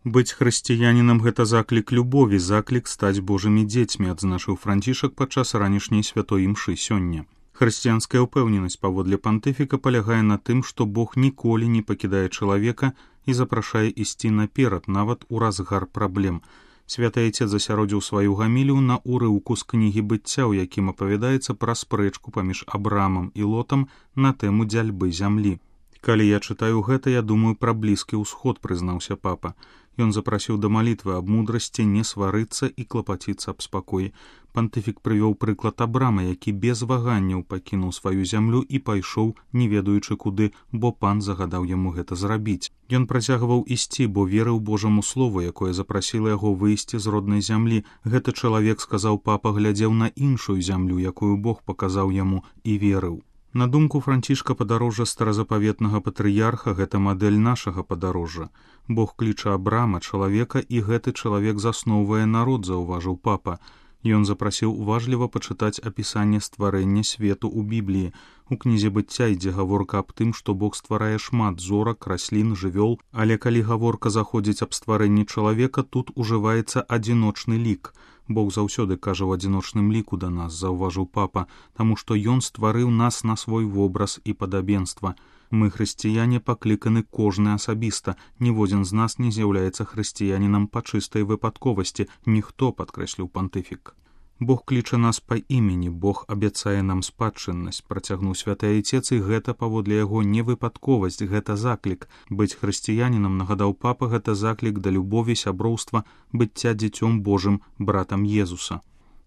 Быць хрысціянінам – гэта заклік любові, заклік стаць Божымі дзецьмі, адзначыў Францішак падчас ранішняй святой імшы сёння. Хрысціянская ўпэўненасць паводле пантыфіка палягае на тым, што Бог ніколі не пакідае чалавека і запрашае ісці наперад, нават у разгар праблем. Святы Айцец засяродзіў сваю гамілію на урыўку з кнігі быцця, у якім апавядаецца пра спрэчку паміж Абрамам і Лотам на тэму дзяльбы зямлі. «Калі я чытаю гэта, я думаю пра Блізкі ўсход», – прызнаўся папа. Ён запрасіў да малітвы аб мудрасці, не сварыцца і клапаціцца аб спакоі. Пантыфік прывёў прыклад Абрама, які без ваганняў пакінуў сваю зямлю і пайшоў, не ведаючы куды, бо пан загадаў яму гэта зрабіць. Ён працягваў ісці, бо верыў Божаму слову, якое запрасіла яго выйсці з роднай зямлі. Гэты чалавек, сказаў папа, глядзеў на іншую зямлю, якую Бог паказаў яму, і верыў. На думку Францішка, падарожжа старазапаветнага патрыярха – гэта мадэль нашага падарожжа. Бог кліча Абрама, чалавека, і гэты чалавек засноўвае народ, заўважыў папа. Ён запрасіў уважліва пачытаць апісанне стварэння свету ў Бібліі. У кнізе быцця ідзе гаворка аб тым, што Бог стварае шмат зорак, раслін, жывёл, але калі гаворка заходзіць аб стварэнні чалавека, тут ужываецца адзіночны лік. Бог заўсёды кажа ў адзіночным ліку да нас, заўважыў папа, таму што ён стварыў нас на свой вобраз і падабенства. Мы, хрысціяне, пакліканы кожны асабіста. Ніводзін з нас не з'яўляецца хрысціянінам па чыстай выпадковасці. Ніхто, падкрэсліў пантыфік. Бог кліча нас па імені, Бог абяцае нам спадчыннасць, працягнуў святы Айцец, і гэта паводле яго не выпадковасць, гэта заклік. Быць хрысціянінам, нагадаў папа, гэта заклік да любові, сяброўства, быцця дзіцём Божым, братам Езуса.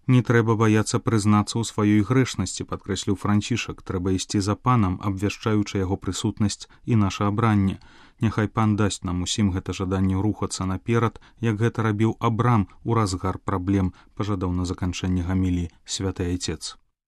Не трэба баяцца прызнацца ў сваёй грэшнасці, падкрэсліў Францішак, трэба ісці за панам, абвяшчаючы яго прысутнасць і наша абранне. Няхай пан дасць нам усім гэта жаданне рухацца наперад, як гэта рабіў Абрам у разгар праблем, пажадаў на заканчэнне гаміліі святы Айцец.